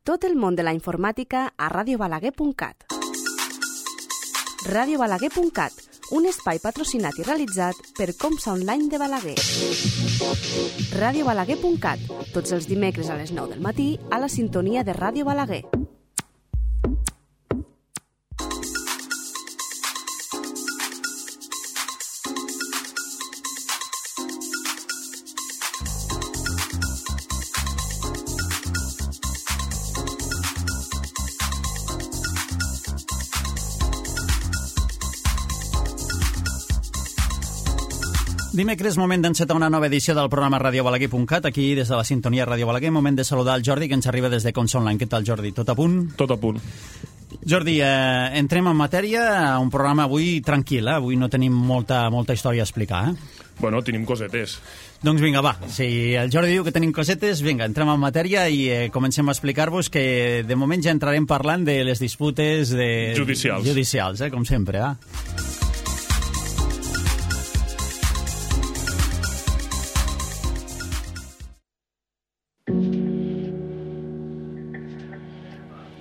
Tot el món de la informàtica a radiobalaguer.cat. radiobalaguer.cat, un espai patrocinat i realitzat per Comsa Online de Balaguer. radiobalaguer.cat, tots els dimecres a les 9 del matí a la sintonia de Ràdio Balaguer. Dimecres, moment d'encetar una nova edició del programa radiobalaguer.cat, aquí des de la sintonia Ràdio Balaguer, moment de saludar el Jordi, que ens arriba des de Comsa Online. Què tal, Jordi? Tot a punt? Tot a punt. Jordi, entrem en matèria, un programa avui tranquil, avui no tenim molta història a explicar, Bueno, tenim cosetes. Doncs vinga, va, si el Jordi diu que tenim cosetes, vinga, entrem en matèria i comencem a explicar-vos que de moment ja entrarem parlant de les disputes judicials, com sempre,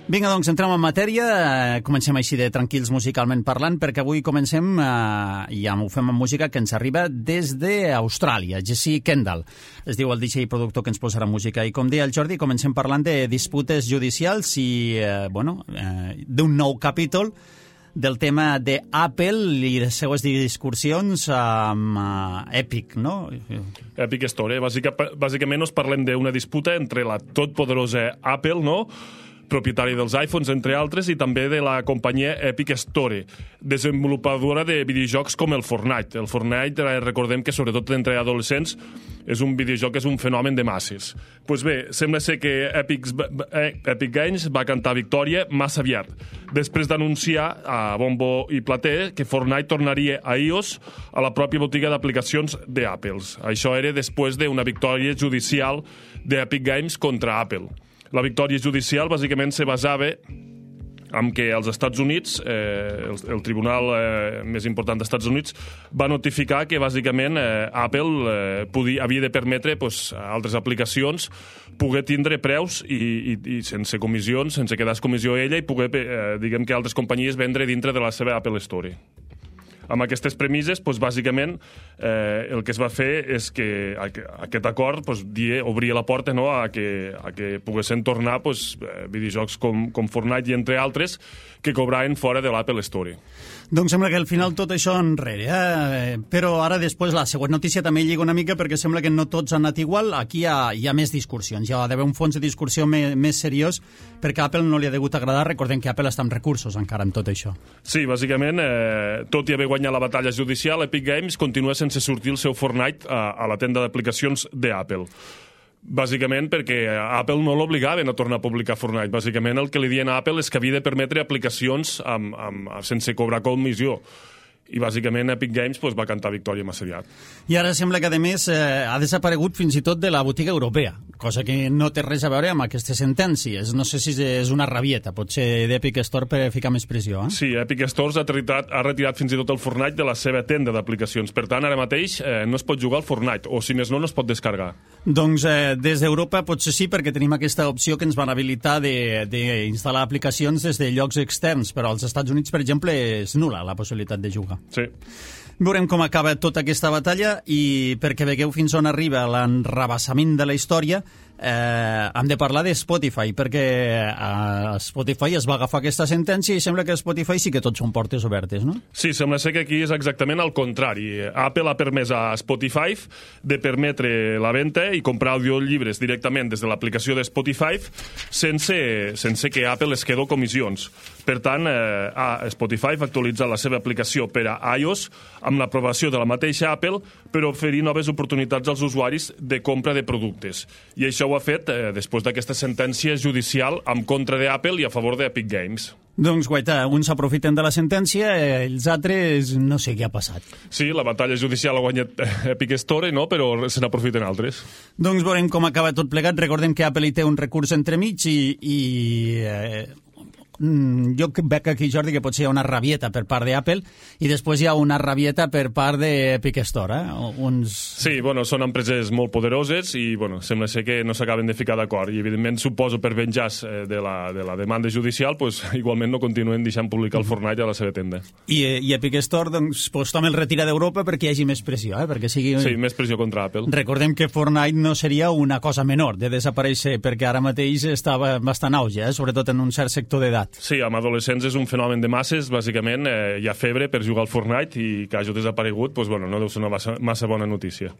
Vinga, doncs, entrem en matèria. Comencem així de tranquils musicalment parlant, perquè avui comencem, i ja ho fem amb música que ens arriba des d'Austràlia. Jesse Kendall es diu el DJ i productor que ens posarà música. I com deia el Jordi, comencem parlant de disputes judicials i, d'un nou capítol del tema d'Apple i les seues discussions amb Epic, no? Epic Store. Bàsicament us parlem d'una disputa entre la totpoderosa Apple, no?, propietari dels iPhones, entre altres, i també de la companyia Epic Store, desenvolupadora de videojocs com el Fortnite. El Fortnite, recordem que sobretot entre adolescents és un videojoc que és un fenomen de masses. Doncs bé, sembla ser que Epic Games va cantar victòria massa aviat, després d'anunciar a bombo i plater que Fortnite tornaria a iOS, a la pròpia botiga d'aplicacions d'Apple. Això era després d'una victòria judicial d'Epic Games contra Apple. La victòria judicial bàsicament se basava en que als Estats Units, el tribunal més important dels Estats Units, va notificar que bàsicament Apple havia de permetre a altres aplicacions poder tindre preus i sense comissions, sense quedar comissió ella, i poder, diguem que altres companyies vendre dintre de la seva Apple Store. Amb aquestes premisses, bàsicament, el que es va fer és que aquest acord obria la porta a que poguessin tornar videojocs com Fortnite i entre altres que cobraven fora de l'Apple Store. Doncs sembla que al final tot això enrere, però ara després la següent notícia també lliga una mica perquè sembla que no tots han anat igual. Aquí hi ha més discussions, hi ha d'haver un fons de discussió més seriós perquè a Apple no li ha degut agradar. Recordem que Apple està amb recursos encara en tot això. Sí, bàsicament, tot i haver guanyat la batalla judicial, Epic Games continua sense sortir el seu Fortnite a la tenda d'aplicacions d'Apple. Bàsicament perquè Apple no l'obligaven a tornar a publicar Fortnite. Bàsicament el que li diuen a Apple és que havia de permetre aplicacions sense cobrar comissió. I bàsicament Epic Games va cantar victòria massa aviat. I ara sembla que a més ha desaparegut fins i tot de la botiga europea, cosa que no té res a veure amb aquestes sentències. No sé si és una rabieta, potser d'Epic Store per ficar més pressió. Sí, Epic Store ha retirat fins i tot el Fortnite de la seva tenda d'aplicacions. Per tant, ara mateix no es pot jugar al Fortnite, o si més no es pot descarregar. Doncs des d'Europa potser sí, perquè tenim aquesta opció que ens van habilitar d'instal·lar aplicacions des de llocs externs, però als Estats Units, per exemple, és nul·la la possibilitat de jugar. Sí. Veurem com acaba tota aquesta batalla i perquè vegueu fins on arriba l'enrabassament de la història, hem de parlar de Spotify, perquè Spotify es va agafar aquesta sentència i sembla que Spotify sí que tots són portes obertes, no? Sí, sembla ser que aquí és exactament al contrari. Apple ha permès a Spotify de permetre la venda i comprar audiollibres directament des de l'aplicació de Spotify sense que Apple es quedi comissions. Per tant, Spotify va actualitzar la seva aplicació per a iOS amb l'aprovació de la mateixa Apple per oferir noves oportunitats als usuaris de compra de productes. I això ho ha fet després d'aquesta sentència judicial en contra d'Apple i a favor d'Epic Games. Doncs, guaita, uns s'aprofiten de la sentència, els altres no sé què ha passat. Sí, la batalla judicial ha guanyat Epic Store, no? Però se n'aprofiten altres. Doncs veurem com acaba tot plegat. Recordem que Apple hi té un recurs entremig i jo veig aquí, Jordi, que potser hi ha una rabieta per part d'Apple i després hi ha una rabieta per part d'Epic Store. Sí, bueno, són empreses molt poderoses i sembla ser que no s'acaben de ficar d'acord i evidentment suposo per venjar-se de la demanda judicial igualment no continuen deixant publicar el Fortnite a la seva tenda. I Epic Store també el retira d'Europa perquè hi hagi més pressió, perquè sigui... Sí, més pressió contra Apple. Recordem que Fortnite no seria una cosa menor de desaparèixer perquè ara mateix estava bastant auge, sobretot en un cert sector d'edat. Sí, amb adolescents és un fenomen de masses, bàsicament hi ha febre per jugar al Fortnite i que hagi desaparegut, no deu ser una massa bona notícia.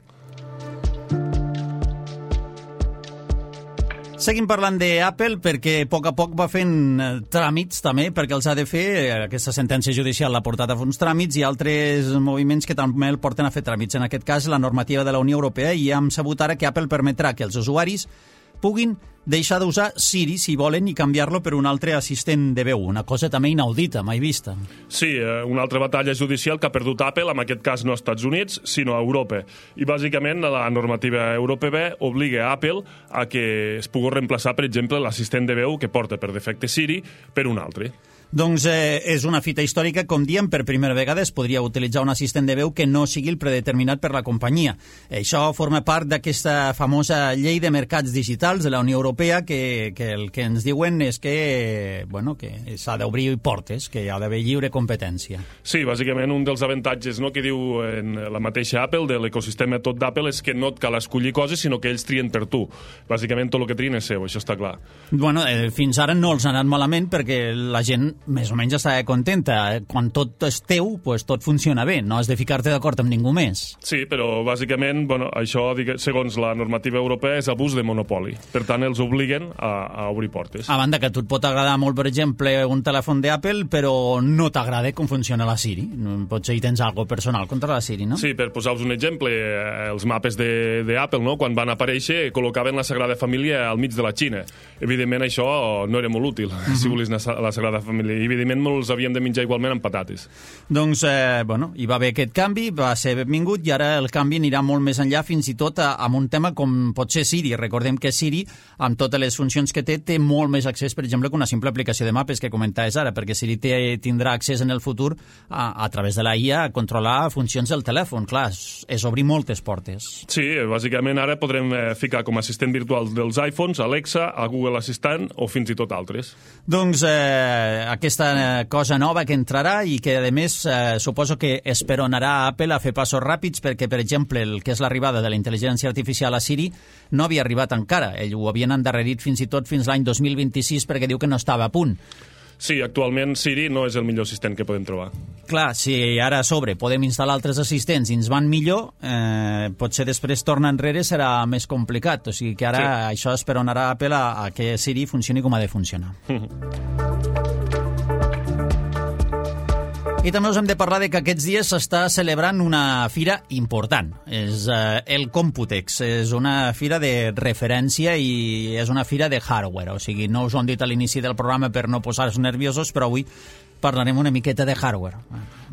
Seguim parlant d'Apple perquè a poc va fent tràmits també, perquè els ha de fer, aquesta sentència judicial l'ha portat a fer uns tràmits i altres moviments que també el porten a fer tràmits. En aquest cas, la normativa de la Unió Europea, i hem sabut ara que Apple permetrà que els usuaris puguin deixar d'usar Siri, si volen, i canviar-lo per un altre assistent de veu, una cosa també inaudita, mai vista. Sí, una altra batalla judicial que ha perdut Apple, en aquest cas no als Estats Units, sinó a Europa. I bàsicament la normativa europea obliga a Apple a que es pugui reemplaçar, per exemple, l'assistent de veu que porta per defecte Siri per un altre. Doncs és una fita històrica, com diem, per primera vegada es podria utilitzar un assistent de veu que no sigui el predeterminat per la companyia. Això forma part d'aquesta famosa llei de mercats digitals de la Unió Europea que el que ens diuen és que s'ha d'obrir portes, que hi ha d'haver lliure competència. Sí, bàsicament un dels avantatges que diu en la mateixa Apple, de l'ecosistema tot d'Apple, és que no et cal escollir coses, sinó que ells trien per tu. Bàsicament tot el que trien és seu, això està clar. Fins ara no els ha anat malament perquè la gent més o menys està contenta. Quan tot és teu, tot funciona bé. No has de ficar-te d'acord amb ningú més. Sí, però bàsicament això, segons la normativa europea, és abús de monopoli. Per tant, els obliguen a obrir portes. A banda que a tu et pot agradar molt, per exemple, un telèfon d'Apple, però no t'agrada com funciona la Siri. Potser hi tens alguna personal contra la Siri, no? Sí, per posar-vos un exemple, els mapes d'Apple, quan van aparèixer, col·locaven la Sagrada Família al mig de la Xina. Evidentment, això no era molt útil, si volies anar a la Sagrada Família. I, evidentment, els havíem de menjar igualment amb patates. Doncs, hi va haver aquest canvi, va ser benvingut, i ara el canvi anirà molt més enllà, fins i tot amb un tema com pot ser Siri. Recordem que Siri, amb totes les funcions que té molt més accés, per exemple, que una simple aplicació de mapes que comentaves ara, perquè Siri tindrà accés en el futur a través de la IA a controlar funcions del telèfon. Clar, és obrir moltes portes. Sí, bàsicament ara podrem ficar com a assistent virtual dels iPhones Alexa, a Google Assistant o fins i tot altres. Doncs aquesta cosa nova que entrarà i que, a més, suposo que esperonarà a Apple a fer passos ràpids perquè, per exemple, el que és l'arribada de la intel·ligència artificial a Siri no havia arribat encara. Ell ho havien endarrerit fins i tot fins l'any 2026 perquè diu que no estava a punt. Sí, actualment Siri no és el millor assistent que podem trobar. Clar, si ara a sobre podem instal·lar altres assistents i ens van millor, potser després tornar enrere serà més complicat. O sigui que ara això esperonarà a Apple a que Siri funcioni com ha de funcionar. I també us hem de parlar de que aquests dies s'està celebrant una fira important. És el Computex. És una fira de referència i és una fira de hardware. O sigui, no us ho hem dit a l'inici del programa per no posar-vos nerviosos, però avui parlarem una miqueta de hardware.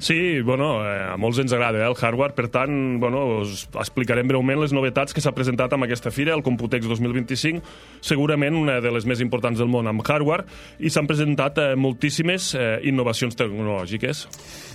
Sí, a molts ens agrada el hardware, per tant, us explicarem breument les novetats que s'ha presentat amb aquesta fira, el Computex 2025, segurament una de les més importants del món amb hardware, i s'han presentat moltíssimes innovacions tecnològiques.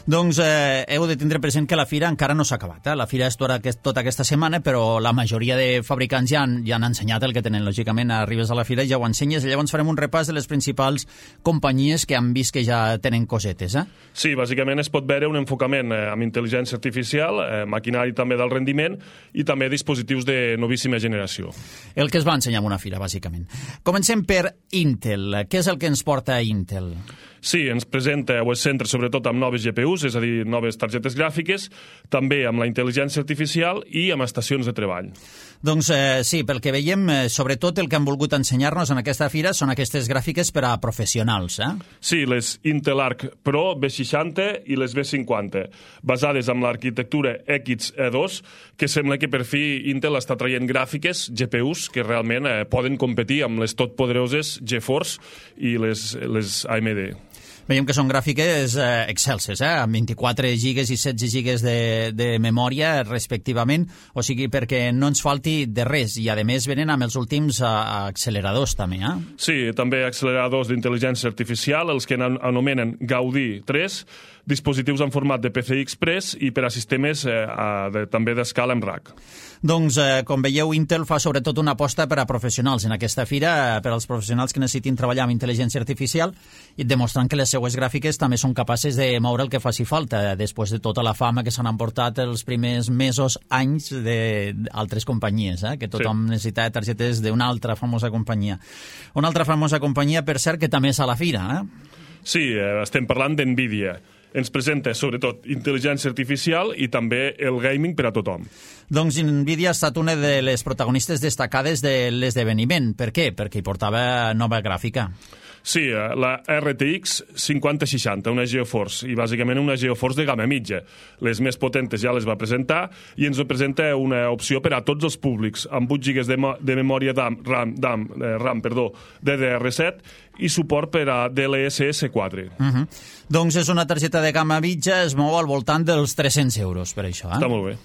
Doncs heu de tindre present que la fira encara no s'ha acabat. La fira és tota aquesta setmana, però la majoria de fabricants ja han ensenyat el que tenen. Lògicament, arribes a la fira i ja ho ensenyes, i llavors farem un repàs de les principals companyies que han vist que ja tenen cosetes. Sí, bàsicament es pot veure un enfocament amb intel·ligència artificial, maquinari també d'alt rendiment i també dispositius de novíssima generació. El que es va ensenyar en una fira, bàsicament. Comencem per Intel. Què és el que ens porta Intel? Sí, ens presenta o es centra sobretot amb noves GPUs, és a dir, noves targetes gràfiques, també amb la intel·ligència artificial i amb estacions de treball. Doncs sí, pel que veiem, sobretot el que han volgut ensenyar-nos en aquesta fira són aquestes gràfiques per a professionals. Sí, les Intel Arc Pro B60 i les B50, basades en l'arquitectura XE2, que sembla que per fi Intel està traient gràfiques, GPUs, que realment poden competir amb les totpoderoses GeForce i les AMD. Veiem que són gràfiques excelses, amb 24 gigas i 16 gigas de memòria respectivament, o sigui, perquè no ens falti de res, i a més venen amb els últims acceleradors també, Sí, també acceleradors d'intel·ligència artificial, els que anomenen Gaudí 3, dispositius en format de PCI Express i per a sistemes també d'escala en RAC. Doncs, com veieu, Intel fa sobretot una aposta per a professionals en aquesta fira, per als professionals que necessitin treballar amb intel·ligència artificial, i demostrant que les seues gràfiques també són capaces de moure el que faci falta, després de tota la fama que s'han emportat els primers mesos, anys d'altres companyies, que tothom necessita targetes d'una altra famosa companyia. Una altra famosa companyia, per cert, que també és a la fira. Sí, estem parlant d'NVIDIA. Ens presenta, sobretot, intel·ligència artificial i també el gaming per a tothom. Doncs NVIDIA ha estat una de les protagonistes destacades de l'esdeveniment. Per què? Perquè hi portava nova gràfica. Sí, la RTX 5060, una GeForce, i bàsicament una GeForce de gamma mitja. Les més potentes ja les va presentar i ens presenta una opció per a tots els públics, amb 8 GB de memòria RAM, DDR7 i suport per a DLSS 4. Doncs és una targeta de gamma mitja, es mou al voltant dels 300 euros per això. Està molt bé.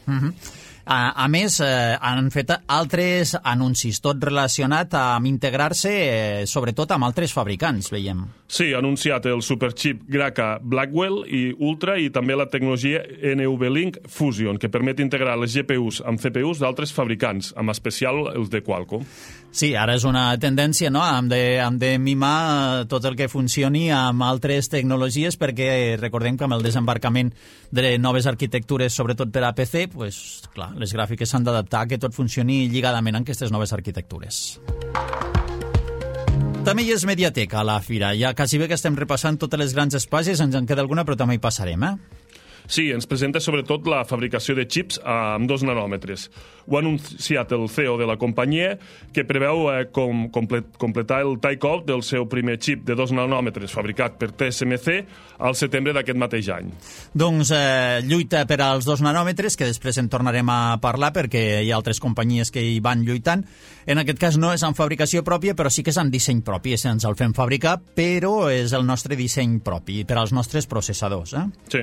A més, han fet altres anuncis, tot relacionat amb integrar-se, sobretot amb altres fabricants, veiem. Sí, ha anunciat el superchip Graca Blackwell i Ultra i també la tecnologia NVLink Fusion, que permet integrar les GPUs amb CPUs d'altres fabricants, en especial els de Qualcomm. Sí, ara és una tendència, no?, hem de mimar tot el que funcioni amb altres tecnologies, perquè recordem que amb el desembarcament de noves arquitectures, sobretot per a PC, pues, clar, les gràfiques s'han d'adaptar a que tot funcioni lligadament amb aquestes noves arquitectures. També hi és Mediatek a la fira. Ja quasi bé que estem repassant totes les grans espases, ens en queda alguna, però també hi passarem, Sí, ens presenta sobretot la fabricació de xips amb 2 nanòmetres. Ho ha anunciat el CEO de la companyia, que preveu completar el take-off del seu primer xip de 2 nanòmetres fabricat per TSMC al setembre d'aquest mateix any. Doncs lluita per als 2 nanòmetres, que després en tornarem a parlar perquè hi ha altres companyies que hi van lluitant. En aquest cas no és en fabricació pròpia, però sí que és en disseny propi. Ens el fem fabricar, però és el nostre disseny propi per als nostres processadors. Sí.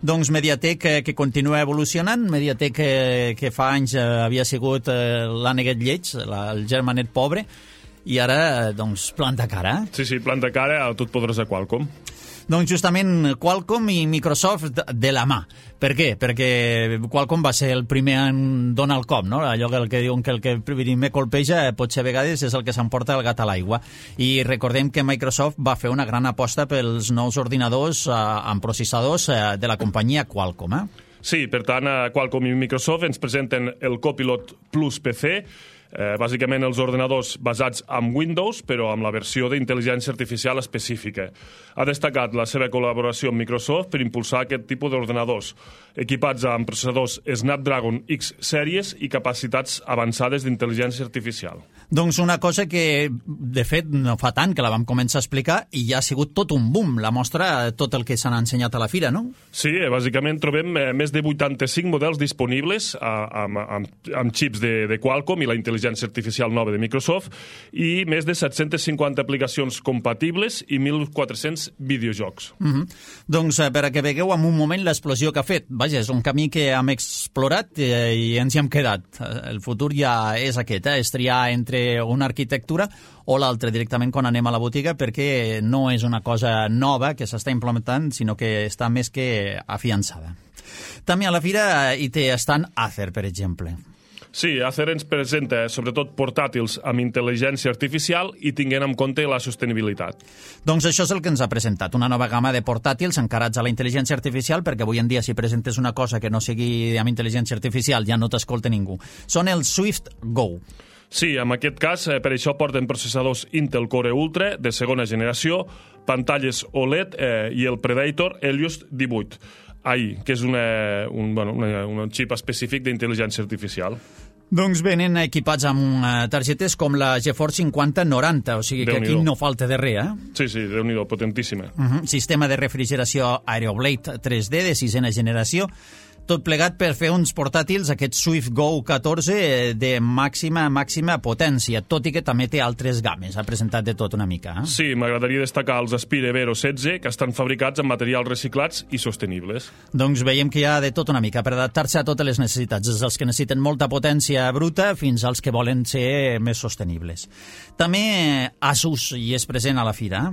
Doncs Mediatek que continua evolucionant, Mediatek que fa anys havia sigut l'àneguet lleig, el germanet pobre, i ara doncs planta cara. Sí, planta cara a totpoderosa Qualcomm. Doncs justament Qualcomm i Microsoft de la mà. Per què? Perquè Qualcomm va ser el primer en donar el cop, no? Allò que diuen que el que primer colpeja potser a vegades és el que s'emporta el gat a l'aigua. I recordem que Microsoft va fer una gran aposta pels nous ordinadors amb processadors de la companyia Qualcomm. Sí, per tant, Qualcomm i Microsoft ens presenten el Copilot Plus PC, bàsicament els ordenadors basats en Windows, però amb la versió d'intel·ligència artificial específica. Ha destacat la seva col·laboració amb Microsoft per impulsar aquest tipus d'ordenadors, equipats amb processadors Snapdragon X Series i capacitats avançades d'intel·ligència artificial. Doncs una cosa que, de fet, no fa tant que la vam començar a explicar i ja ha sigut tot un boom, la mostra tot el que s'han ensenyat a la fira, no? Sí, bàsicament trobem més de 85 models disponibles amb xips de Qualcomm i la intel·ligència artificial nova de Microsoft i més de 750 aplicacions compatibles i 1.400 videojocs. Doncs per a que vegueu en un moment l'explosió que ha fet. Vaja, és un camí que hem explorat i ens hi hem quedat. El futur ja és aquest, és triar entre una arquitectura o l'altra directament quan anem a la botiga, perquè no és una cosa nova que s'està implementant, sinó que està més que afiançada. També a la fira hi té estant Acer, per exemple. Sí, Acer ens presenta sobretot portàtils amb intel·ligència artificial i tinguent en compte la sostenibilitat. Doncs això és el que ens ha presentat, una nova gamma de portàtils encarats a la intel·ligència artificial, perquè avui en dia si presentes una cosa que no sigui amb intel·ligència artificial ja no t'escolta ningú. Són els Swift Go. Sí, en aquest cas, per això porten processadors Intel Core Ultra de segona generació, pantalles OLED i el Predator Helios 18. Que és un xip específic d'intel·ligència artificial. Doncs venen equipats amb targetes com la GeForce 5090, o sigui que aquí no falta de res, Sí, Déu-n'hi-do, potentíssima. Sistema de refrigeració Aeroblade 3D de 6ena generació, Tot plegat per fer uns portàtils, aquest Swift Go 14, de màxima potència, tot i que també té altres games. Ha presentat de tot una mica. Sí, m'agradaria destacar els Aspire Vero 16, que estan fabricats amb materials reciclats i sostenibles. Doncs veiem que hi ha de tot una mica per adaptar-se a totes les necessitats, des dels que necessiten molta potència bruta fins als que volen ser més sostenibles. També Asus hi és present a la fira.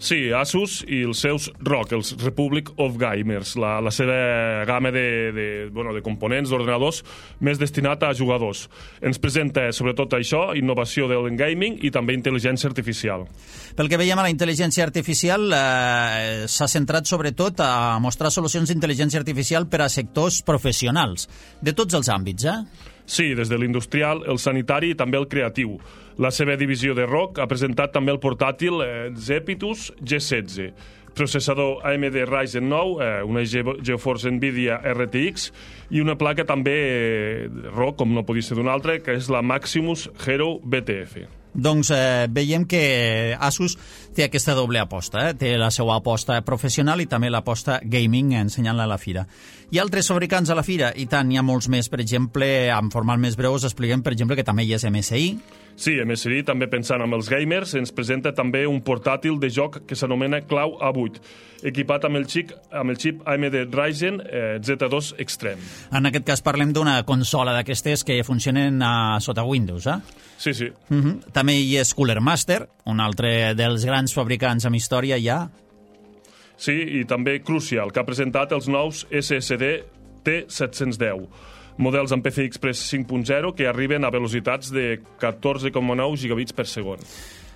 Sí, Asus i els seus ROG, els Republic of Gamers, la seva gamma de components, d'ordenadors, més destinat a jugadors. Ens presenta, sobretot això, innovació del gaming i també intel·ligència artificial. Pel que veiem, a la intel·ligència artificial s'ha centrat sobretot a mostrar solucions d'intel·ligència artificial per a sectors professionals, de tots els àmbits, Sí, des de l'industrial, el sanitari i també el creatiu. La seva divisió de ROG ha presentat també el portàtil Zepitus G16, processador AMD Ryzen 9, una GeForce NVIDIA RTX i una placa també ROG, com no podia ser d'una altra, que és la Maximus Hero BTF. Doncs veiem que Asus té aquesta doble aposta, té la seva aposta professional i també l'aposta gaming, ensenyant-la a la fira. Hi ha altres fabricants a la fira, i tant, hi ha molts més. Per exemple, en format més breu us expliquem, per exemple, que també hi és MSI. Sí, MSI, també pensant en els gamers, ens presenta també un portàtil de joc que s'anomena Clau A8, equipat amb el xip AMD Ryzen Z2 Extreme. En aquest cas parlem d'una consola d'aquestes que funcionen sota Windows, Sí, sí. També hi és Cooler Master, un altre dels grans fabricants amb història ja. Sí, i també Crucial, que ha presentat els nous SSD T710, models amb PCI Express 5.0 que arriben a velocitats de 14,9 gigabits per segon.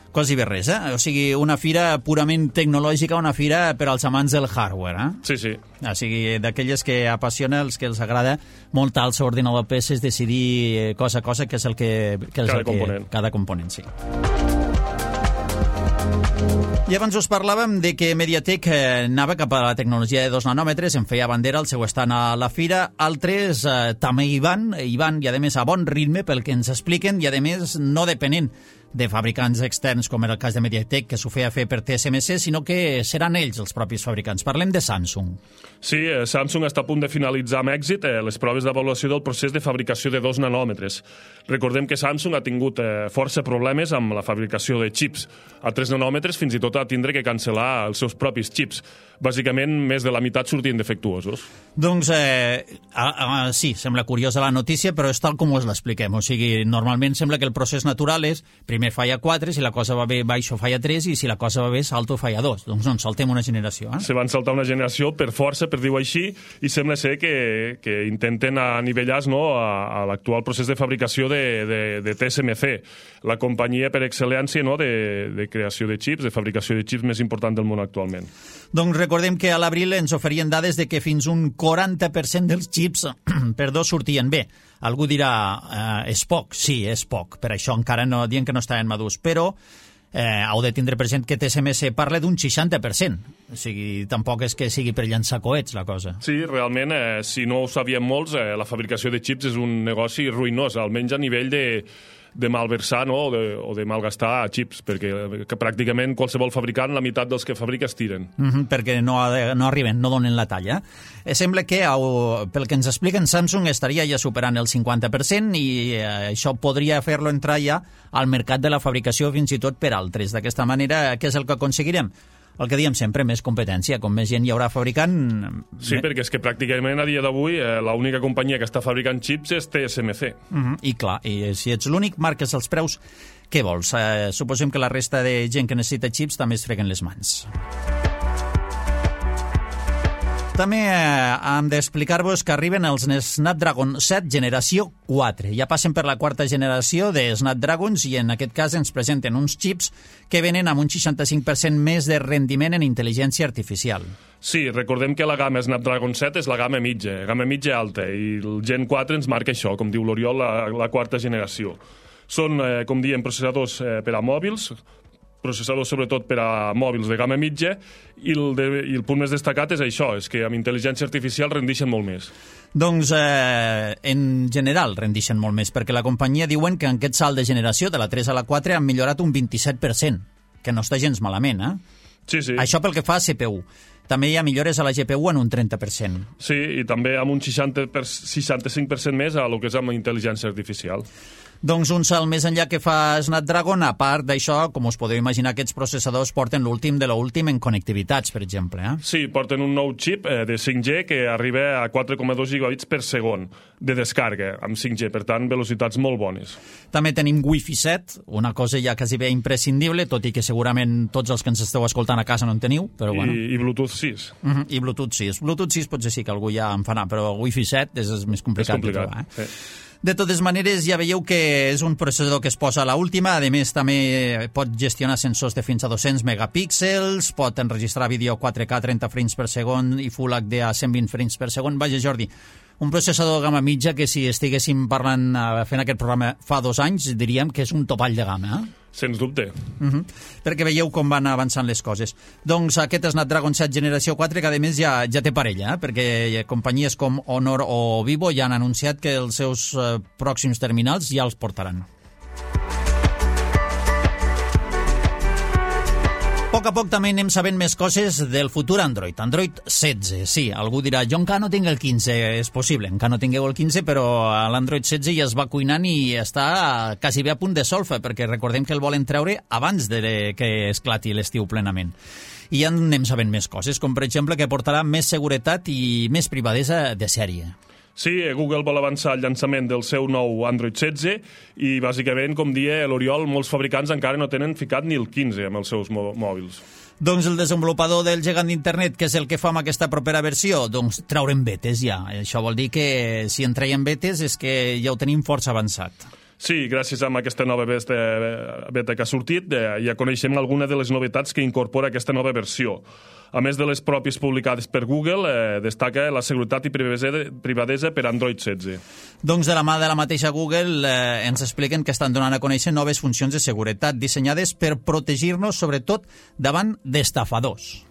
Quasi bé res, O sigui, una fira purament tecnològica, una fira per als amants del hardware, Sí, sí. O sigui, d'aquelles que apassiona, els que els agrada muntar el seu ordinador PC, decidir cosa a cosa, que és el que... Cada component, sí. I abans us parlàvem de que Mediatek anava cap a la tecnologia de 2 nanòmetres, en feia bandera el seu estant a la fira. Altres també hi van, i a més a bon ritme pel que ens expliquen, i a més no depenent de fabricants externs, com era el cas de Mediatek, que s'ho feia fer per TSMC, sinó que seran ells els propis fabricants. Parlem de Samsung. Sí, Samsung està a punt de finalitzar amb èxit les proves d'avaluació del procés de fabricació de 2 nanòmetres. Recordem que Samsung ha tingut força problemes amb la fabricació de xips. A 3 nanòmetres fins i tot ha tindre que cancel·lar els seus propis xips. Bàsicament, més de la meitat sortien defectuosos. Doncs sí, sembla curiosa la notícia, però és tal com us l'expliquem. O sigui, normalment sembla que el procés natural és primer falla 4, si la cosa va bé, baixo falla 3, i si la cosa va bé, salto falla 2. Doncs no, saltem una generació. Se van saltar una generació per força, per dir-ho així, i sembla ser que intenten anivellar a l'actual procés de fabricació de TSMC, la companyia per excel·lència de creació de xips, de fabricació de xips més important del món actualment. Doncs recordem que a l'abril ens oferien dades de que fins un 40% dels xips sortien bé. Algú dirà, és poc? Sí, és poc. Per això encara no dient que no estaven madurs. Però heu de tindre present que TSMC parla d'un 60%. O sigui, tampoc és que sigui per llançar coets, la cosa. Sí, realment, si no ho sabien molts, la fabricació de xips és un negoci ruïnós, almenys a nivell de malversar o de malgastar xips, perquè pràcticament qualsevol fabricant, la meitat dels que fabrica es tiren. Perquè no arriben, no donen la talla. Sembla que, pel que ens expliquen, Samsung estaria ja superant el 50% i això podria fer-lo entrar ja al mercat de la fabricació fins i tot per altres. D'aquesta manera, què és el que aconseguirem? El que diem sempre, més competència. Com més gent hi haurà fabricant... Sí, perquè és que pràcticament a dia d'avui l'única companyia que està fabricant xips és TSMC. I clar, i si ets l'únic, marques els preus, què vols? Suposem que la resta de gent que necessita xips també es freguen les mans. També hem d'explicar-vos que arriben els Snapdragon 7 generació 4. Ja passen per la quarta generació de Snapdragons i en aquest cas ens presenten uns xips que venen amb un 65% més de rendiment en intel·ligència artificial. Sí, recordem que la gamma Snapdragon 7 és la gamma mitja alta, i el Gen 4 ens marca això, com diu l'Oriol, la quarta generació. Són, com diem, processadors per a mòbils, processadors sobretot per a mòbils de gamma mitja, i el punt més destacat és això, és que amb intel·ligència artificial rendixen molt més. Doncs en general rendixen molt més, perquè la companyia diuen que en aquest salt de generació de la 3 a la 4 han millorat un 27%, que no està gens malament, Sí, sí. Això pel que fa a CPU. També hi ha millores a la GPU en un 30%. Sí, i també amb un 65% més a lo que és amb intel·ligència artificial. Doncs un salt més enllà que fa Snapdragon. A part d'això, com us podeu imaginar, aquests processadors porten l'últim de l'últim en connectivitats, per exemple. Sí, porten un nou xip de 5G que arriba a 4,2 gigabits per segon de descarga amb 5G, per tant, velocitats molt bones. També tenim Wi-Fi 7, una cosa ja quasi bé imprescindible, tot i que segurament tots els que ens esteu escoltant a casa no en teniu, però bueno. I Bluetooth 6. I Bluetooth 6. Bluetooth 6 potser sí que algú ja en farà, però Wi-Fi 7 és més complicat de trobar. Sí. De totes maneres, ja veieu que és un processador que es posa a l'última. A més, també pot gestionar sensors de fins a 200 megapíxels, pot enregistrar vídeo 4K a 30 frames per segon i Full HD a 120 frames per segon. Vaja, Jordi, un processador de gamma mitja que si estiguéssim parlant, fent aquest programa fa 2 anys, diríem que és un topall de gamma, Sens dubte. Perquè veieu com van avançant les coses. Doncs aquest Snapdragon 7 generació 4, que a més ja té parella, perquè companyies com Honor o Vivo ja han anunciat que els seus pròxims terminals ja els portaran. A poc a poc també anem sabent més coses del futur Android. Android 16, sí, algú dirà, jo encara no tinc el 15, és possible, encara no tingueu el 15, però l'Android 16 ja es va cuinant i està quasi bé a punt de solfa, perquè recordem que el volen treure abans de que esclati l'estiu plenament. I ja anem sabent més coses, com per exemple que portarà més seguretat i més privadesa de sèrie. Sí, Google vol avançar el llançament del seu nou Android 16 i, bàsicament, com deia l'Oriol, molts fabricants encara no tenen ficat ni el 15 amb els seus mòbils. Doncs el desenvolupador del gegant d'internet, que és el que fa amb aquesta propera versió, doncs traurem betes ja. Això vol dir que si en traiem betes és que ja ho tenim força avançat. Sí, gràcies a aquesta nova beta que ha sortit, ja coneixem alguna de les novetats que incorpora aquesta nova versió. A més de les pròpies publicades per Google, destaca la seguretat i privadesa per Android 16. Doncs de la mà de la mateixa Google ens expliquen que estan donant a conèixer noves funcions de seguretat dissenyades per protegir-nos, sobretot, davant d'estafadors.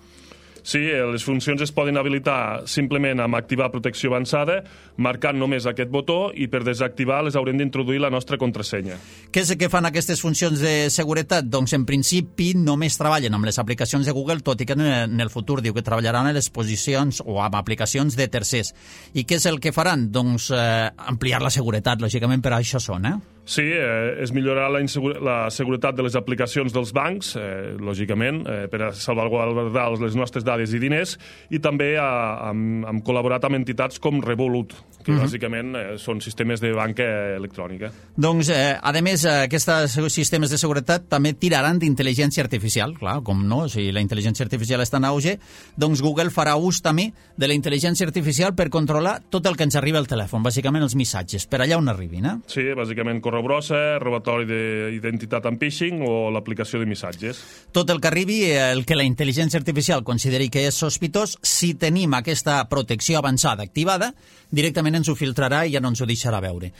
Sí, les funcions es poden habilitar simplement amb activar protecció avançada, marcant només aquest botó, i per desactivar les haurem d'introduir la nostra contrasenya. Què és el que fan aquestes funcions de seguretat? Doncs en principi només treballen amb les aplicacions de Google, tot i que en el futur diu que treballaran en les posicions o amb aplicacions de tercers. I què és el que faran? Doncs ampliar la seguretat, lògicament per això són, Sí, és millorar la seguretat de les aplicacions dels bancs, lògicament, per a salvaguardar les nostres dades i diners, i també hem col·laborat amb entitats com Revolut, que bàsicament són sistemes de banca electrònica. Doncs, a més, aquests sistemes de seguretat també tiraran d'intel·ligència artificial, clar, com no, si la intel·ligència artificial està en auge, doncs Google farà ús també de la intel·ligència artificial per controlar tot el que ens arriba al telèfon, bàsicament els missatges, per allà on arribin, Sí, bàsicament brossa, robatori d'identitat amb phishing o l'aplicació de missatges. Tot el que arribi, el que la intel·ligència artificial consideri que és sospitós, si tenim aquesta protecció avançada activada, directament ens ho filtrarà i ja no ens ho deixarà veure.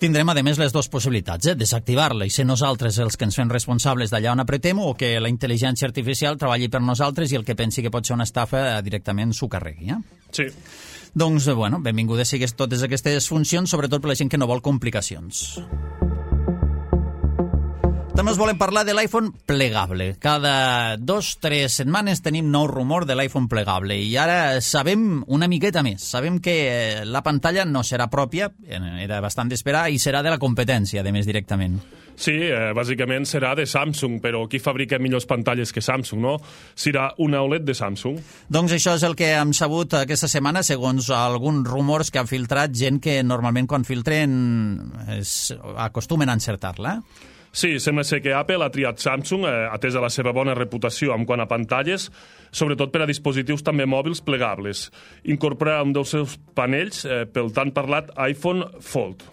Tindrem, a més, les dues possibilitats, desactivar-la i ser nosaltres els que ens fem responsables d'allà on apretem, o que la intel·ligència artificial treballi per nosaltres i el que pensi que pot ser una estafa directament s'ho carregui. Sí. Doncs, bueno, benvingudes sigues totes aquestes funcions, sobretot per la gent que no vol complicacions. També us volem parlar de l'iPhone plegable. Cada 2-3 setmanes tenim nou rumor de l'iPhone plegable i ara sabem una miqueta més. Sabem que la pantalla no serà pròpia, era bastant d'esperar, i serà de la competència, a més, directament. Sí, bàsicament serà de Samsung, però qui fabrica millors pantalles que Samsung, no? Serà una OLED de Samsung. Doncs això és el que hem sabut aquesta setmana, segons alguns rumors que han filtrat gent que normalment quan filtren acostumen a encertar-la. Sí, sembla ser que Apple ha triat Samsung, atesa la seva bona reputació en quant a pantalles, sobretot per a dispositius també mòbils plegables. Incorpora un dels seus panells pel tan parlat iPhone Fold.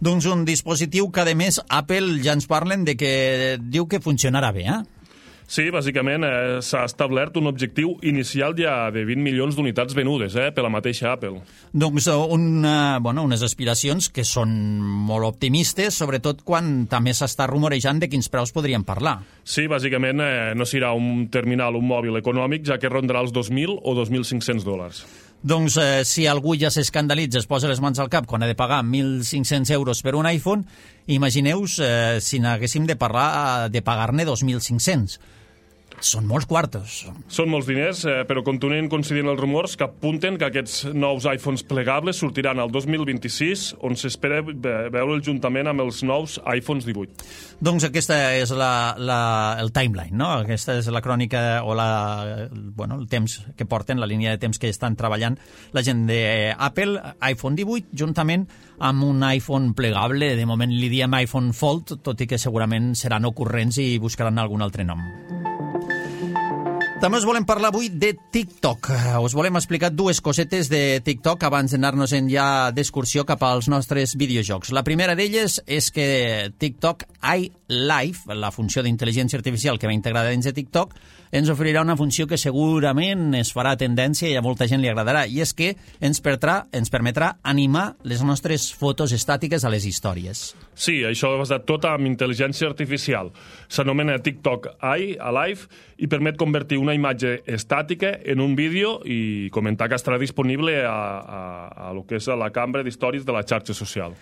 Doncs un dispositiu que, a més, Apple ja ens parlen de que diu que funcionarà bé, Sí, bàsicament s'ha establert un objectiu inicial ja de 20 milions d'unitats venudes per la mateixa Apple. Doncs unes aspiracions que són molt optimistes, sobretot quan també s'està rumorejant de quins preus podríem parlar. Sí, bàsicament no serà un terminal, un mòbil econòmic, ja que rondarà els $2.000 o $2.500. Doncs si algú ja s'escandalitza, es posa les mans al cap quan ha de pagar 1.500 euros per un iPhone, imagineu si n'haguéssim de parlar de pagar-ne 2.500. Són molts quartos. Són molts diners, però continuen coincidint els rumors que apunten que aquests nous iPhones plegables sortiran el 2026, on s'espera veure'l juntament amb els nous iPhones 18. Doncs aquesta és el timeline, no? Aquesta és la crònica o el temps que porten, la línia de temps que estan treballant la gent d'Apple, iPhone 18, juntament amb un iPhone plegable. De moment li diem iPhone Fold, tot i que segurament seran ocurrents i buscaran algun altre nom. També us volem parlar avui de TikTok. Us volem explicar dues cosetes de TikTok abans d'anar-nos-en ja d'excursió cap als nostres videojocs. La primera d'elles és que TikTok iLife, la funció d'intel·ligència artificial que va integrada dins de TikTok, ens oferirà una funció que segurament es farà tendència i a molta gent li agradarà, i és que ens permetrà animar les nostres fotos estàtiques a les històries. Sí, això va basat tot en intel·ligència artificial. S'anomena TikTok iLife i permet convertir una imatge estàtica en un vídeo i comentar que estarà disponible a lo que és a la cambra d'històries de la xarxa social.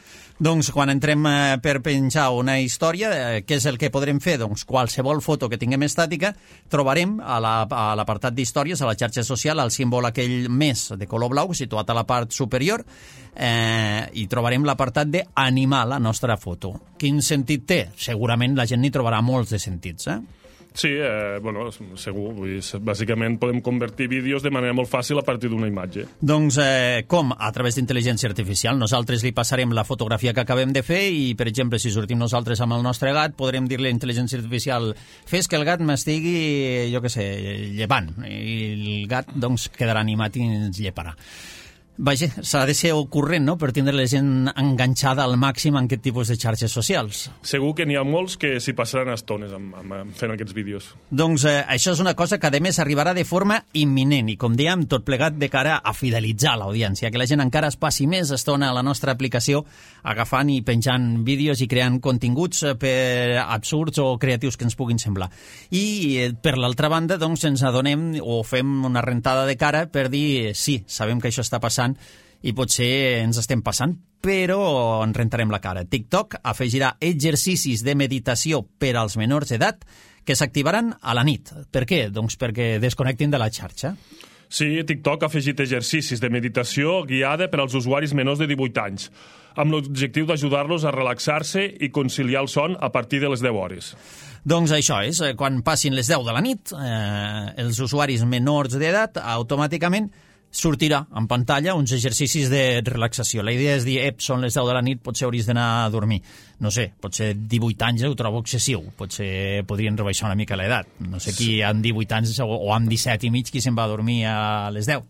Doncs quan entrem per penjar una història, què és el que podrem fer? Doncs qualsevol foto que tinguem estàtica trobarem a l'apartat d'històries, a la xarxa social, el símbol aquell més de color blau situat a la part superior, i trobarem l'apartat d'animar la nostra foto. Quin sentit té? Segurament la gent n'hi trobarà molts de sentits, Sí, segur. Bàsicament podem convertir vídeos de manera molt fàcil a partir d'una imatge. Doncs com? A través d'intel·ligència artificial. Nosaltres li passarem la fotografia que acabem de fer i, per exemple, si sortim nosaltres amb el nostre gat, podrem dir-li a intel·ligència artificial fes que el gat m'estigui, jo què sé, llevant. I el gat, doncs, quedarà animat i ens lleparà. Vaja, s'ha de ser ocurrent, no?, per tindre la gent enganxada al màxim en aquest tipus de xarxes socials. Segur que n'hi ha molts que s'hi passaran estones fent aquests vídeos. Doncs això és una cosa que, a més, arribarà de forma imminent i, com dèiem, tot plegat de cara a fidelitzar l'audiència, que la gent encara es passi més estona a la nostra aplicació agafant i penjant vídeos i creant continguts absurds o creatius que ens puguin semblar. I, per l'altra banda, doncs, ens adonem o fem una rentada de cara per dir sí, sabem que això està passant i potser ens estem passant, però en rentarem la cara. TikTok afegirà exercicis de meditació per als menors d'edat que s'activaran a la nit. Per què? Doncs perquè desconnectin de la xarxa. Sí, TikTok ha afegit exercicis de meditació guiada per als usuaris menors de 18 anys, amb l'objectiu d'ajudar-los a relaxar-se i conciliar el son a partir de les 10 hores. Doncs això és, quan passin les 10 de la nit, els usuaris menors d'edat automàticament sortirà en pantalla uns exercicis de relaxació. La idea és dir, són les 10 de la nit, potser hauries d'anar a dormir. No sé, potser 18 anys ho trobo excessiu, potser podrien rebaixar una mica l'edat. No sé qui amb 18 anys o amb 17 i mig qui se'n va a dormir a les 10.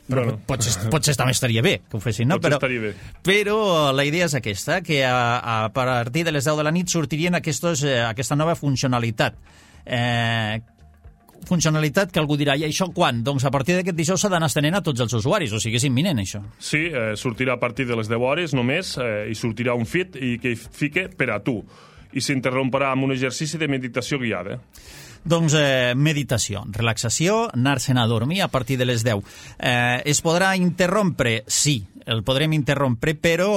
Però potser també estaria bé que ho fessin, no? Però la idea és aquesta, que a partir de les 10 de la nit sortirien aquesta nova funcionalitat. Funcionalitat que algú dirà, i això quan? Doncs a partir d'aquest dijous s'ha d'anar estenent a tots els usuaris, o sigui, és imminent, això. Sí, sortirà a partir de les 10 hores només, i sortirà un feed i que fique per a tu, i s'interromperà amb un exercici de meditació guiada. Doncs meditació, relaxació, anar-se'n a dormir a partir de les 10. Es podrà interrompre? Sí, el podrem interrompre, però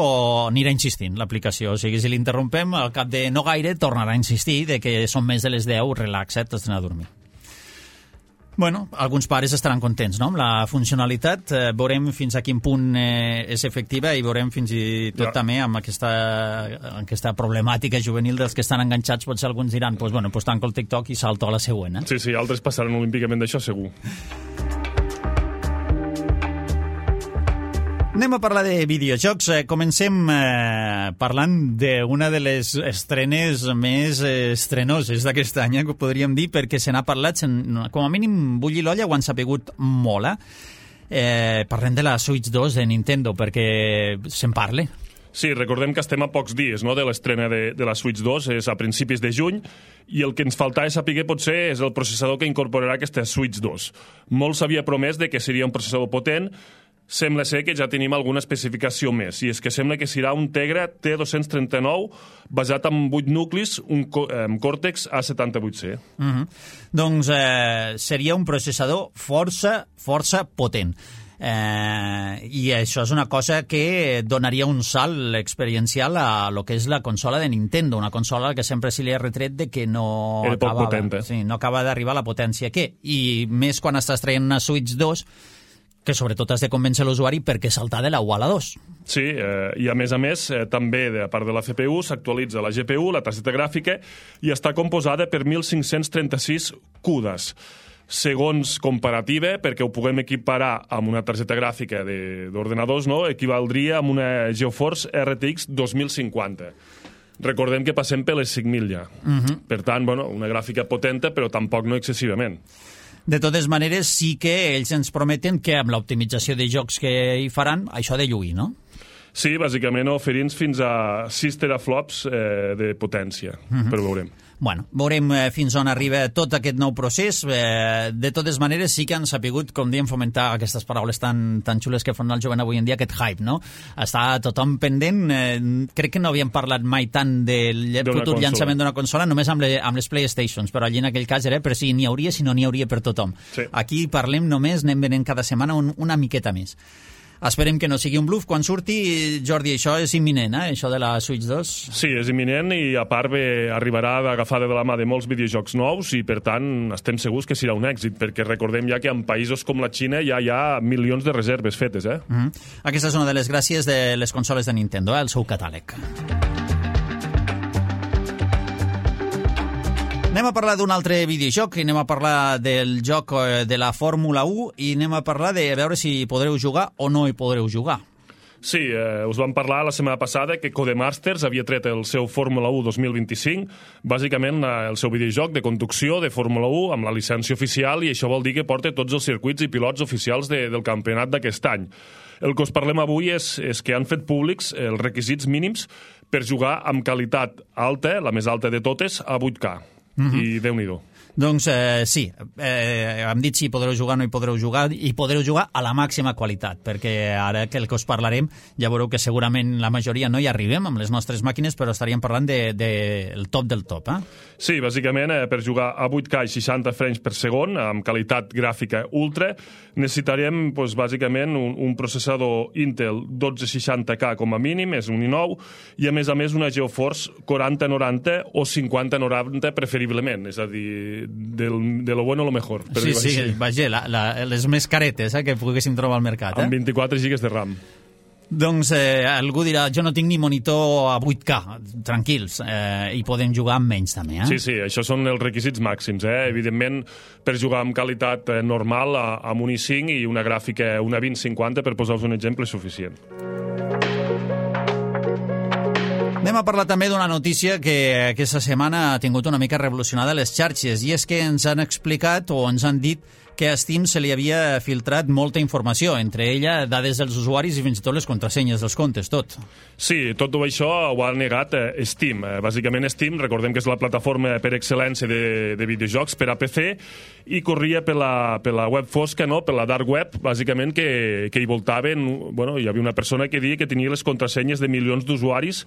anirà insistint l'aplicació. O sigui, si l'interrompem, al cap de no gaire tornarà a insistir de que són més de les 10, relaxa't, has d'anar a dormir. Bueno, alguns pares estaran contents, no?, amb la funcionalitat. Veurem fins a quin punt és efectiva i veurem fins i tot també amb aquesta problemàtica juvenil dels que estan enganxats. Potser alguns diran, pues tanco el TikTok i salto a la següent. Sí, altres passaran olímpicament d'això, segur. Anem a parlar de videojocs. Comencem parlant d'una de les estrenes més estrenoses d'aquest any, que podríem dir, perquè se n'ha parlat, com a mínim bullir l'olla ho han sapigut molt. Parlem de la Switch 2 de Nintendo, perquè se'n parle. Sí, recordem que estem a pocs dies, no?, de l'estrena de la Switch 2, és a principis de juny, i el que ens faltava saber potser és el processador que incorporarà aquesta Switch 2. Molt s'havia promès de que seria un processador potent. Sembla ser que ja tenim alguna especificació més, i és que sembla que serà un Tegra T239 basat en 8 nuclis, un Cortex A78C. Doncs seria un processador força potent. I això és una cosa que donaria un salt experiencial a lo que és la consola de Nintendo, una consola que sempre se li ha retret de que no acaba d'arribar a la potència que, i més quan estàs traient una Switch 2, que sobretot has de convèncer l'usuari perquè saltar de la 1 a la 2. Sí, i a més, també, a part de la CPU, s'actualitza la GPU, la targeta gràfica, i està composada per 1.536 CUDAs. Segons comparativa, perquè ho puguem equiparar amb una targeta gràfica d'ordenadors, no? Equivaldria amb una GeForce RTX 2050. Recordem que passem per les 5.000 ja. Per tant, una gràfica potenta, però tampoc no excessivament. De totes maneres, sí que ells ens prometen que amb l'optimització de jocs que hi faran, això ha de lluir, no? Sí, bàsicament oferint fins a 6 teraflops de potència, però veurem. Bueno, veurem fins on arriba tot aquest nou procés. De totes maneres, sí que han sapigut, com diem, fomentar aquestes paraules tan xules que fan el jovent avui en dia, aquest hype, no? Està tothom pendent. Crec que no havíem parlat mai tant del futur llançament d'una consola, només amb les PlayStations, però allí en aquell cas era per si n'hi hauria, si no n'hi hauria per tothom. Sí. Aquí parlem només, anem venent cada setmana una miqueta més. Esperem que no sigui un bluff quan surti. Jordi, això és imminent, això de la Switch 2? Sí, és imminent i a part arribarà d'agafada de la mà de molts videojocs nous i per tant estem segurs que serà un èxit, perquè recordem ja que en països com la Xina ja hi ha milions de reserves fetes. Aquesta és una de les gràcies de les consoles de Nintendo, el seu catàleg. Anem a parlar d'un altre videojoc, anem a parlar del joc de la Fórmula 1 i anem a parlar de veure si podreu jugar o no hi podreu jugar. Sí, us vam parlar la setmana passada que Codemasters havia tret el seu Fórmula 1 2025, bàsicament el seu videojoc de conducció de Fórmula 1 amb la llicència oficial, i això vol dir que porta tots els circuits i pilots oficials del campionat d'aquest any. El que us parlem avui és que han fet públics els requisits mínims per jugar amb qualitat alta, la més alta de totes, a 8K. I Déu-n'hi-do. Doncs sí, hem dit si podreu jugar o no hi podreu jugar, i podreu jugar a la màxima qualitat, perquè ara que el que us parlarem ja veureu que segurament la majoria no hi arribem amb les nostres màquines, però estaríem parlant del top del top. Sí, bàsicament per jugar a 8K i 60 frames per segon, amb qualitat gràfica ultra, necessitarem bàsicament un processador Intel 1260K com a mínim, és un i9, i a més una GeForce 4090 o 5090 preferiblement, és a dir, de lo bueno a lo mejor. Sí, vaja, les més caretes que poguéssim trobar al mercat. Amb 24 GB de RAM. Doncs algú dirà, jo no tinc ni monitor a 8K, tranquils, i podem jugar amb menys també. Sí, això són els requisits màxims. Evidentment, per jugar amb qualitat normal, amb un i5 i una gràfica, una 2050, per posar-vos un exemple, és suficient. Anem a parlar també d'una notícia que aquesta setmana ha tingut una mica revolucionada les xarxes, i és que ens han explicat o ens han dit que a Steam se li havia filtrat molta informació, entre ella dades dels usuaris i fins i tot les contrasenyes dels comptes, tot. Sí, tot això ho ha negat Steam. Bàsicament Steam, recordem que és la plataforma per excel·lència de videojocs per a PC, i corria per la web fosca, per la dark web, bàsicament que hi voltaven, hi havia una persona que deia que tenia les contrasenyes de milions d'usuaris,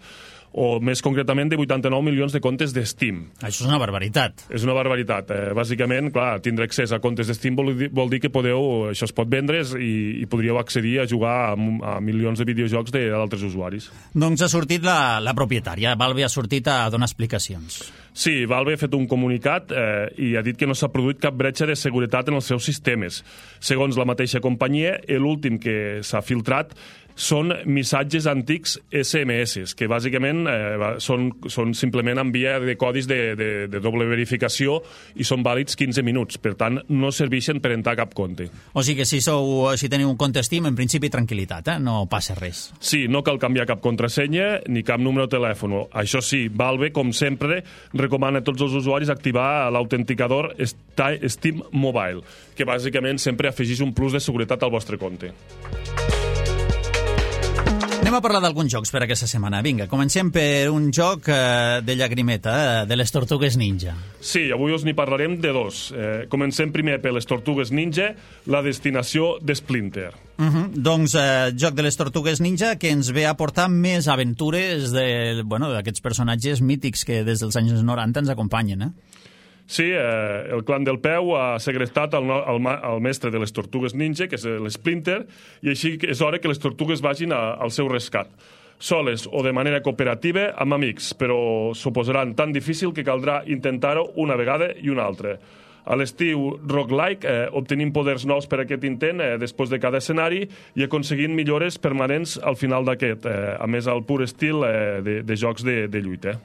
o més concretament de 89 milions de comptes de Steam. Això és una barbaritat. És una barbaritat. Bàsicament, clar, tindre accés a comptes de Steam vol dir que això es pot vendre i podríeu accedir a jugar a milions de videojocs d'altres usuaris. Doncs ha sortit la propietària. Valve ha sortit a donar explicacions. Sí, Valve ha fet un comunicat i ha dit que no s'ha produït cap bretxa de seguretat en els seus sistemes. Segons la mateixa companyia, l'últim que s'ha filtrat són missatges antics SMS, que bàsicament són simplement en via de codis de doble verificació i són vàlids 15 minuts. Per tant, no serveixen per entrar a cap compte. O sigui que si teniu un compte Steam, en principi tranquil·litat, no passa res. Sí, no cal canviar cap contrasenya ni cap número de telèfon. Això sí, Valve, com sempre, recomana a tots els usuaris activar l'autenticador Steam Mobile, que bàsicament sempre afegeix un plus de seguretat al vostre compte. Anem a parlar d'alguns jocs per aquesta setmana. Vinga, comencem per un joc de llagrimeta, de les Tortugues Ninja. Sí, avui us n'hi parlarem de dos. Comencem primer per les Tortugues Ninja, la destinació de Splinter. Doncs joc de les Tortugues Ninja que ens ve a portar més aventures d'aquests personatges mítics que des dels anys 90 ens acompanyen, Sí, el clan del peu ha segrestat el mestre de les Tortugues Ninja, que és l'Splinter, i així és hora que les Tortugues vagin al seu rescat. Soles o de manera cooperativa amb amics, però s'ho posaran tan difícil que caldrà intentar-ho una vegada i una altra. A l'estiu roguelike, obtenim poders nous per aquest intent després de cada escenari i aconseguint millores permanents al final d'aquest, a més al pur estil de jocs de lluita.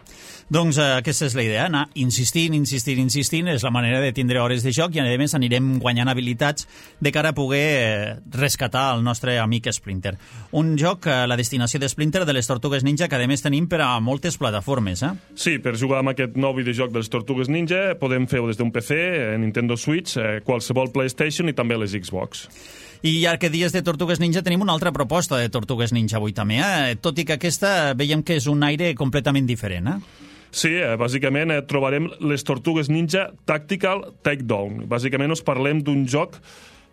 Doncs aquesta és la idea, anar insistint, és la manera de tindre hores de joc i a més anirem guanyant habilitats de cara a poder rescatar el nostre amic Splinter. Un joc, la destinació de Splinter de les Tortugues Ninja, que a més tenim per a moltes plataformes. Sí, per jugar amb aquest nou videojoc de les Tortugues Ninja podem fer-ho des d'un PC, Nintendo Switch, qualsevol PlayStation i també les Xbox. I ja que dies de Tortugues Ninja tenim una altra proposta de Tortugues Ninja avui també, tot i que aquesta veiem que és un aire completament diferent. Sí, bàsicament trobarem les Tortugues Ninja Tactical Takedown. Bàsicament us parlem d'un joc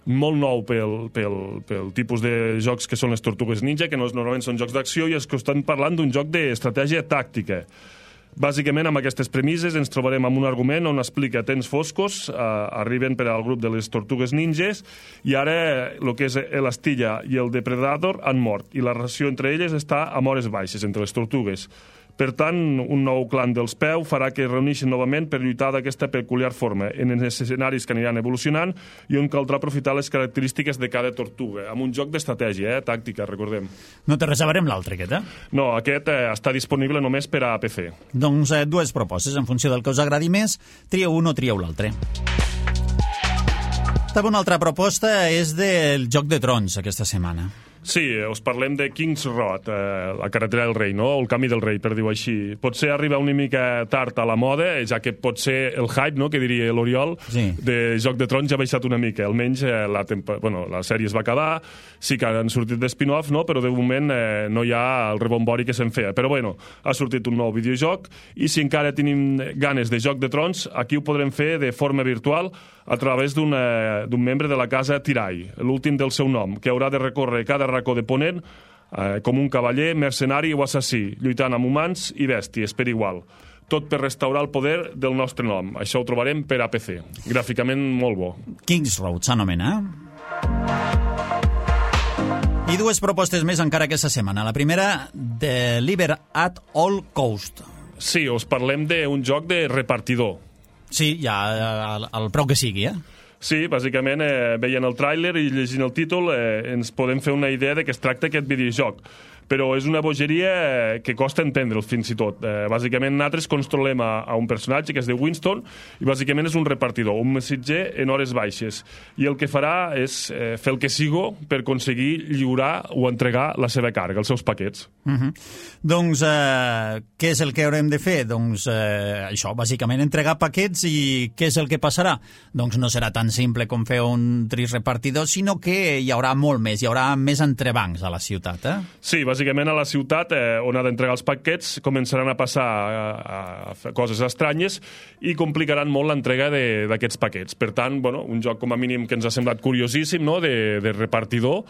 molt nou pel tipus de jocs que són les Tortugues Ninja, que normalment són jocs d'acció, i és que estem parlant d'un joc d'estratègia tàctica. Bàsicament, amb aquestes premisses ens trobarem amb un argument on explica temps foscos, arriben per al grup de les Tortugues Ninjas, i ara el que és l'Astilla i el Depredador han mort, i la relació entre elles està a hores baixes, entre les tortugues. Per tant, un nou clan dels peu farà que es reuneixin novament per lluitar d'aquesta peculiar forma, en els escenaris que aniran evolucionant i on caldrà aprofitar les característiques de cada tortuga, amb un joc d'estratègia, tàctica, recordem. No te reservarem l'altre, aquest, No, aquest està disponible només per a PC. Doncs dues propostes, en funció del que us agradi més, trieu un o trieu l'altre. També una altra proposta és del Joc de Trons, aquesta setmana. Sí, us parlem de King's Road, la carretera del rei, no? O el camí del rei, per dir-ho així. Potser arriba una mica tard a la moda, ja que potser el hype, no?, que diria l'Oriol, sí, de Joc de Trons ja ha baixat una mica. Almenys la sèrie es va acabar, sí que han sortit d'espin-off, no?, però de moment no hi ha el rebombori que se'n feia. Però bueno, ha sortit un nou videojoc i si encara tenim ganes de Joc de Trons, aquí ho podrem fer de forma virtual a través d'un membre de la casa Tirai, l'últim del seu nom, que haurà de recórrer cada racó de Ponent com un cavaller, mercenari o assassí, lluitant amb humans i bèsties per igual. Tot per restaurar el poder del nostre nom. Això ho trobarem per a PC. Gràficament molt bo. King's Road s'anomena. I dues propostes més encara aquesta setmana. La primera, Deliver at All Cost. Sí, us parlem d'un joc de repartidor. Sí, ja el prou que sigui, Sí, bàsicament, veient el tràiler i llegint el títol ens podem fer una idea de què es tracta aquest videojoc. Però és una bogeria que costa entendre'l fins i tot. Bàsicament, nosaltres controlem a un personatge que es diu Winston i bàsicament és un repartidor, un missatger en hores baixes. I el que farà és fer el que sigo per aconseguir lliurar o entregar la seva càrrega, els seus paquets. Doncs què és el que haurem de fer? Doncs això, bàsicament entregar paquets, i què és el que passarà? Doncs no serà tan simple com fer un trist repartidor, sinó que hi haurà molt més, hi haurà més entrebancs a la ciutat, Sí, bàsicament a la ciutat on ha d'entregar els paquets començaran a passar a coses estranyes i complicaran molt l'entrega d'aquests paquets. Per tant, un joc com a mínim que ens ha semblat curiosíssim, no?, de repartidor,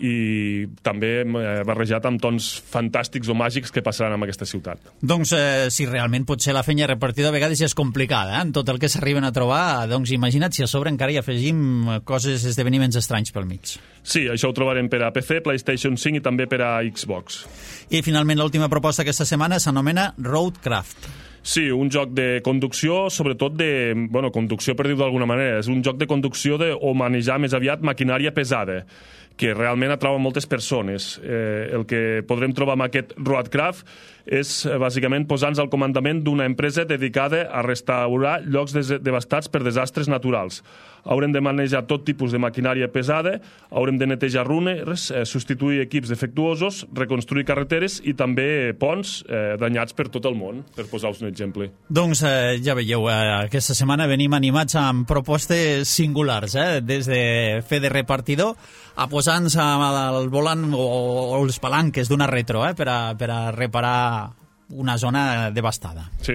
i també barrejat amb tons fantàstics o màgics que passaran en aquesta ciutat. Doncs si realment pot ser la feina repartidor a vegades ja és complicada, en tot el que s'arriben a trobar, doncs imagina't si a sobre encara hi afegim coses, esdeveniments estranys pel mig. Sí, això ho trobarem per a PC, PlayStation 5 i també per a Xbox. I finalment l'última proposta aquesta setmana s'anomena Roadcraft. Sí, un joc de conducció, sobretot conducció per dir-ho d'alguna manera. És un joc de conducció o manejar més aviat maquinària pesada, que realment atrau moltes persones. El que podrem trobar amb aquest Roadcraft és bàsicament posar-nos al comandament d'una empresa dedicada a restaurar llocs devastats per desastres naturals. Haurem de manejar tot tipus de maquinària pesada, haurem de netejar runes, substituir equips defectuosos, reconstruir carreteres i també ponts danyats per tot el món, per posar-vos un exemple. Doncs ja veieu, aquesta setmana venim animats amb propostes singulars, des de fer de repartidor a posar-nos al volant o els palanques d'una retro per a reparar una zona devastada. Sí.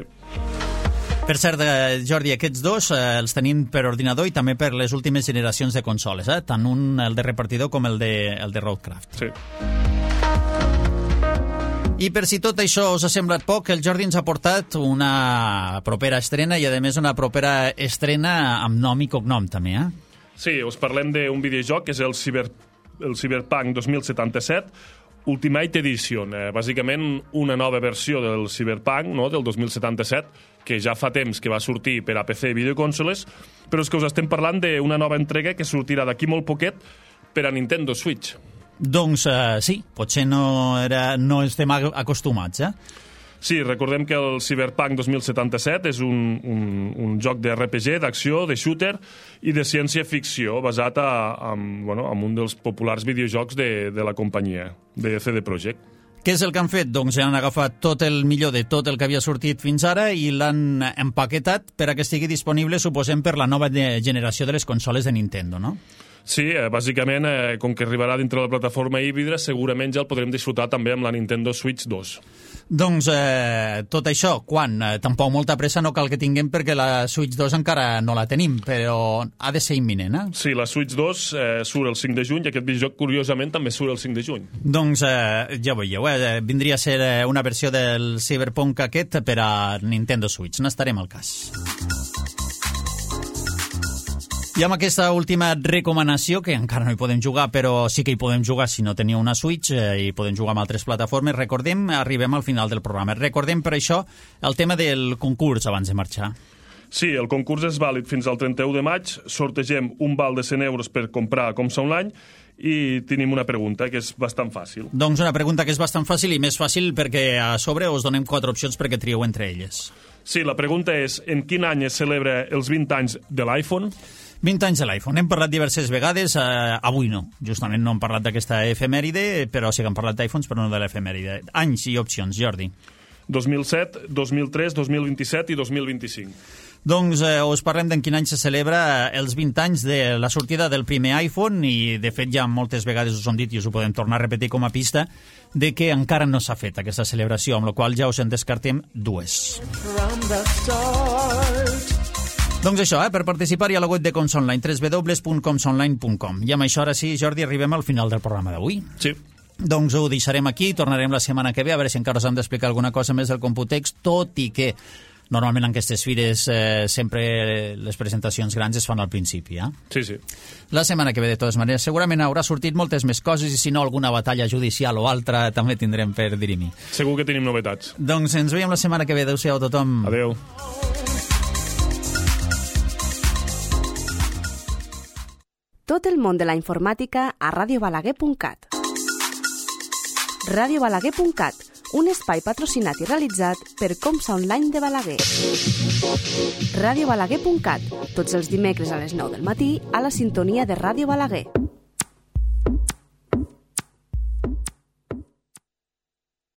Per cert, Jordi, aquests dos els tenim per ordinador i també per les últimes generacions de consoles, tant el de repartidor com el de Roadcraft. Sí. I per si tot això us ha semblat poc, el Jordi ens ha portat una propera estrena i, a més, una propera estrena amb nom i cognom, també, eh? Sí, us parlem d'un videojoc que és el Cyberpunk 2077, Ultimate Edition. Bàsicament, una nova versió del Cyberpunk, no?, del 2077, que ja fa temps que va sortir per a PC i videoconsoles, però és que us estem parlant d'una nova entrega que sortirà d'aquí molt poquet per a Nintendo Switch. Doncs sí, potser no estem acostumats, eh? Sí, recordem que el Cyberpunk 2077 és un joc de RPG, d'acció, de shooter i de ciència-ficció basat en un dels populars videojocs de la companyia, de CD Projekt. Què és el que han fet? Doncs han agafat tot el millor de tot el que havia sortit fins ara i l'han empaquetat per a que estigui disponible, suposem, per la nova generació de les consoles de Nintendo, no? Sí, bàsicament, com que arribarà dintre de la plataforma híbrida, segurament ja el podrem disfrutar també amb la Nintendo Switch 2. Doncs tot això, quan? Tampoc molta pressa no cal que tinguem perquè la Switch 2 encara no la tenim, però ha de ser imminent, eh? Sí, la Switch 2 surt el 5 de juny i aquest videojoc, curiosament, també surt el 5 de juny. Doncs ja veieu, vindria a ser una versió del Cyberpunk aquest per a Nintendo Switch. N'estarem al cas. I amb aquesta última recomanació, que encara no hi podem jugar, però sí que hi podem jugar si no teniu una Switch i podem jugar amb altres plataformes, arribem al final del programa. Recordem per això el tema del concurs abans de marxar. Sí, el concurs és vàlid fins al 31 de maig, sortegem un val de 100 euros per comprar Comsa Online i tenim una pregunta que és bastant fàcil. Doncs una pregunta que és bastant fàcil i més fàcil perquè a sobre us donem 4 opcions perquè trieu entre elles. Sí, la pregunta és en quin any es celebra els 20 anys de l'iPhone? 20 anys de l'iPhone. Hem parlat diverses vegades, avui no. Justament no hem parlat d'aquesta efemèride, però sí que hem parlat d'iPhones, però no de l'efemèride. Anys i opcions, Jordi. 2007, 2003, 2027 i 2025. Doncs us parlem d'en quin any se celebra els 20 anys de la sortida del primer iPhone i, de fet, ja moltes vegades us ho hem dit i us ho podem tornar a repetir com a pista de que encara no s'ha fet aquesta celebració, amb la qual ja us en descartem 2. Doncs això, per participar-hi a la web de Comsa Online, www.comsaonline.com. I amb això, ara sí, Jordi, arribem al final del programa d'avui. Sí. Doncs ho deixarem aquí, tornarem la setmana que ve, a veure si encara us hem d'explicar alguna cosa més del Computex, tot i que normalment en aquestes fires sempre les presentacions grans es fan al principi, eh? Sí, sí. La setmana que ve, de totes maneres, segurament haurà sortit moltes més coses i si no, alguna batalla judicial o altra també tindrem per dirimir. Segur que tenim novetats. Doncs ens veiem la setmana que ve. Adéu-siau a tothom. Adéu. Tot el món de la informàtica a radiobalaguer.cat. Radiobalaguer.cat, un espai patrocinat i realitzat per Comsa Online de Balaguer. Radiobalaguer.cat, tots els dimecres a les 9 del matí a la sintonia de Ràdio Balaguer.